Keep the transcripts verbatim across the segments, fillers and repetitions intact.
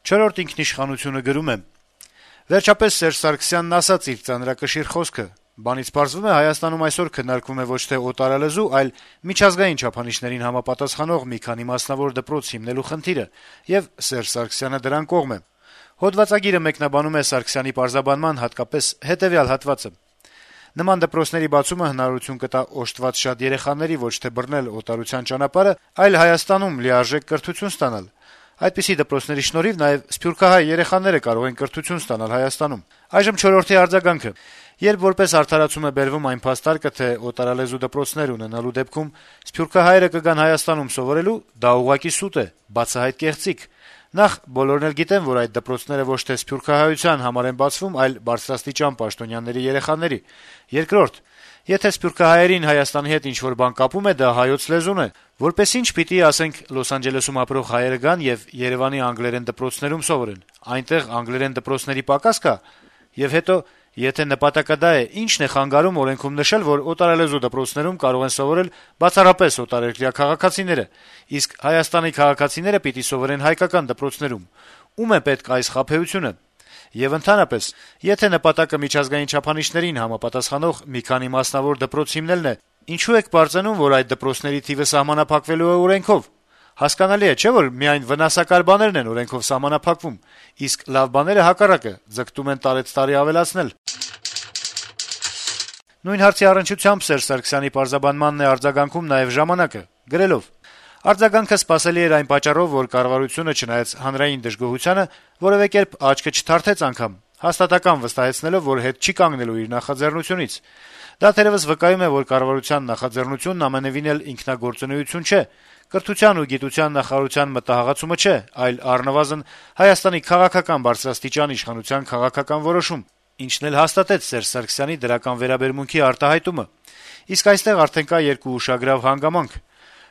Չորրորդ ինքնիշխանությունը գրում է. - «Վերջապես Սերժ Սարգսյանն ասաց իր ծանրակշիռ խոսքը: Բանից պարզվում է, Հայաստանում այսօր քննարկվում է ոչ թե օտարալեզու, այլ միջազգային չափանիշներին համապատասխանող մի քանի մասնավոր դպրոց հիմնելու խնդիրը, եւ Սերժ Սարգսյանը դրան կողմ է»: Հոդվածագիրը մեկնաբանում է Սարգսյանի պարզաբանման հատկապես հետեւյալ հատվածը. - «Նման դպրոցների բացումը հնարավորություն կտա օժտված շատ երեխաների ոչ թե բռնել օտարության ճանապարհը, այլ Հայաստանում լիարժեք կրթություն ստանալ: Այդպիսի դպրոցների շնորհիվ նաեւ սփյուռքահայ երեխաները կարող են կրթություն ստանալ Հայաստանում»: Այժմ չորրորդի արձագանքը. - «Երբ որպես արդարացում է բերվում այն փաստարկը, թե օտարալեզու դպրոցներ ունենալու դեպքում սփյուռքահայերը կգան Հայաստանում սովորելու, դա ուղղակի սուտ է, բացահայտ կեղծիք: Նախ, բոլորն էլ գիտեն, որ այդ դպրոցները ոչ թե սփյուռքահայության համար են բացվում, այլ բարձրաստիճան պաշտոնյաների երեխաների: Երկրորդ, եթե սփյուռքահայերին Հայաստանի հետ ինչ-որ բան կապում է, դա հայոց լեզուն է: Որպես ինչ պիտի, ասենք, Լոս Անջելեսում ապրող հայերը գան եւ Երեւանի անգլերեն դպրոցներում սովորեն: Այնտեղ անգլերեն դպրոցների պակաս կա: Եվ հետո, եթե նպատակը դա է, ի՞նչն է խանգարում օրենքում նշել, որ օտարալեզու դպրոցներում կարող են սովորել բացառապես օտարերկրյա քաղաքացիները, իսկ Հայաստանի քաղաքացիները պիտի սովորեն հայկական դպրոցներում: Ո՞ւմ է պետք այս խաբեությունը: Եվ ընդհանրապես, եթե նպատակը միջազգային չափանիշներին համապատասխանող մի քանի մասնավոր դպրոց հիմնելն է, ինչո՞ւ եք պարծենում, որ այդ դպրոցների թիվը սահմանափակվելու է օրենքով: Հասկանալի է, չէ՞, որ միայն վնասակար բաներն են օրենքով սահմանափակվում, իսկ լավ բաները, հակառակը, ձգտում են տարեցտարի ավելացնել»: Նույն հարցի առնչությամբ Սերժ Սարգսյանի պարզաբանմանն է արձագանքում նաեւ «Ժամանակ»-ը, գրելով. - «Արձագանքը սպասելի էր այն պատճառով, որ կառավարությունը, չնայած հանրային դժգոհությանը, որեւէ կերպ աչքը չթարթեց անգամ, հաստատակամ վստահեցնելով, որ հետ չի կանգնելու իր նախաձեռնությունից: Դա թերեւս վկայում է, որ կառավարության նախաձեռնությունն ամենեւին էլ ինքնագործունեություն չէ, կրթության ու գիտության նախարարության մտահղացումը չէ, այլ առնվազն Հայաստանի քաղաքական բարձրաստիճան իշխանության քաղաքական որոշում, ինչն էլ հաստատեց Սերժ Սարգսյանի դրական վերաբերմունքի արտահայտումը: Իսկ այստեղ արդեն կա երկու ուշագրավ հանգամանք: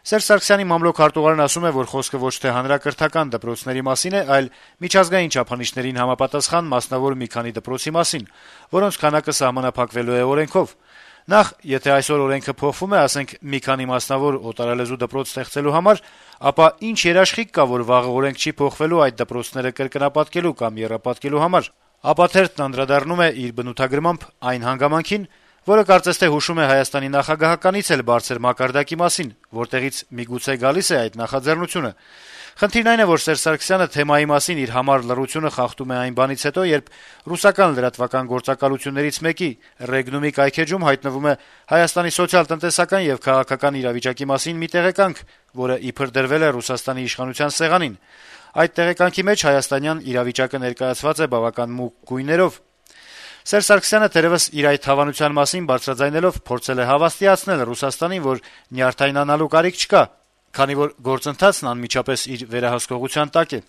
Սերժ Սարգսյանի մամլոք հարտուղարն ասում է, որ խոսքը ոչ թե հանրակրթական դպրոցների մասին է, այլ միջազգային չափանիշներին համապատասխան մասնավոր մի քանի դպրոցի մասին, որոնց քանակը սահմանափակվելու է օրենքով: Նախ, եթե այսօր օրենքը փոխվում է, ասենք, մի քանի մասնավոր օտարալեզու դպրոց ստեղծելու համար, ապա ի՞նչ երաշխիք կա, որ վաղը օրենք չի փոխվելու այդ դպրոցները կրկնապատկելու կամ եռապատկելու համար»: Ապա թերթն անդրադառնում է իր բնութագրմամբ այն հանգամանքին, որը կարծես թե հուշում է Հայաստանի նախագահականից էլ բարձր մակարդակի մասին, որտեղից միգուցե գալիս է այդ նախաձեռնությունը: Խնդիրն այն է, որ Սերժ Սարգսյանը թեմայի մասին իր համառ լռությունը խախտում է այն բանից հետո, երբ ռուսական լրատվական գործակալություններից մեկի՝ Ռեգնումի կայքէջում հայտնվում է Հայաստանի սոցիալ-տնտեսական եւ քաղաքական իրավիճակի մասին մի տեղեկանք, որը իբր դրվել է Ռուսաստանի իշխանության սեղանին: Այդ տեղեկանքի մեջ հայաստանյան իրավիճակը ներկայացված է բավական մուգ գույներով: Սերժ Սարգսյանը թերեւս իր այդ հավանության մասին բարձրաձայնելով փորձել է հավաստիացնել Ռուսաստանին, որ նյարդայնանալու կարիք չկա, քանի որ գործընթացն անմիջապես իր վերահսկողության տակ է: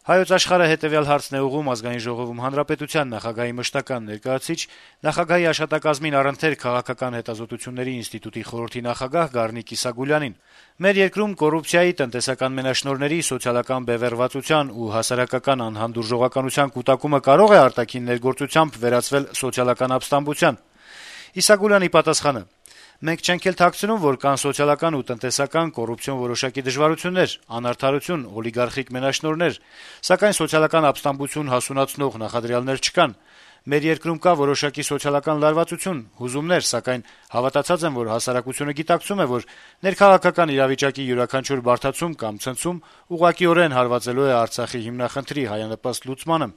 «Հայոց Աշխարհ»-ը հետեւյալ հարցն է ուղղում Ազգային ժողովում հանրապետության նախագահի մշտական ներկայացուցիչ, նախագահի աշտակազմին առընթեր քաղաքական հետազոտությունների ինստիտուտի խորհրդի նախագահ Գառնիկ Իսագուլյանին: «Մեր երկրում կոռուպցիայի, տնտեսական մենաշնորհների, սոցիալական բևեռվածության ու հասարակական անհանդուրժողականության կուտակումը կարո՞ղ է արտաքին ներգործությամբ վերածվել սոցիալական ապստամբության»: Իսագուլյանի պատասխանը. - «Մենք չենք էլ թաքցնում, որ կան սոցիալական ու տնտեսական կոռուպցիոն որոշակի դժվարություններ, անարդարություն, օլիգարխիկ մենաշնորհներ, սակայն սոցիալական ապստամբություն հասունացնող նախադրյալներ չկան: Մեր երկրում կա որոշակի սոցիալական լարվածություն, հուզումներ, սակայն հավատացած եմ, որ հասարակությունը գիտակցում է, որ ներքաղաքական իրավիճակի յուրաքանչյուր բարդացում կամ ցնցում ուղղակիորեն հարվածելու է Արցախի հիմնախնդրի հայանպաստ լուծմանը»: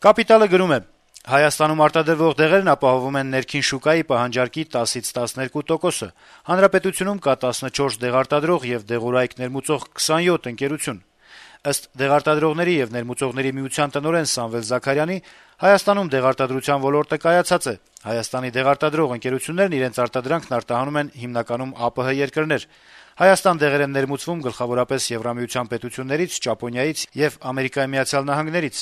«Կապիտալ»-ը գրում է. - «Հայաստանում արտադրվող դեղերն ապահովում են ներքին շուկայի պահանջարկի տասից տասներկու տոկոսը: Հանրապետությունում կա տասնչորս դեղարտադրող եւ դեղորայք ներմուծող քսանյոթ ընկերություն: Ըստ Դեղարտադրողների եւ ներմուծողների միության տնօրեն Սամվել Զաքարյանի, Հայաստանում դեղարտադրության ոլորտը կայացած է: Հայաստանի դեղարտադրող ընկերություններն իրենց արտադրանքն արտահանում են հիմնականում ԱՊՀ երկրներ: Հայաստան դեղեր են ներմուծվում գլխավորապես Եվրամիության պետություններից, Ճապոնիայից եւ Ամերիկայի Միացյալ Նահանգներից»: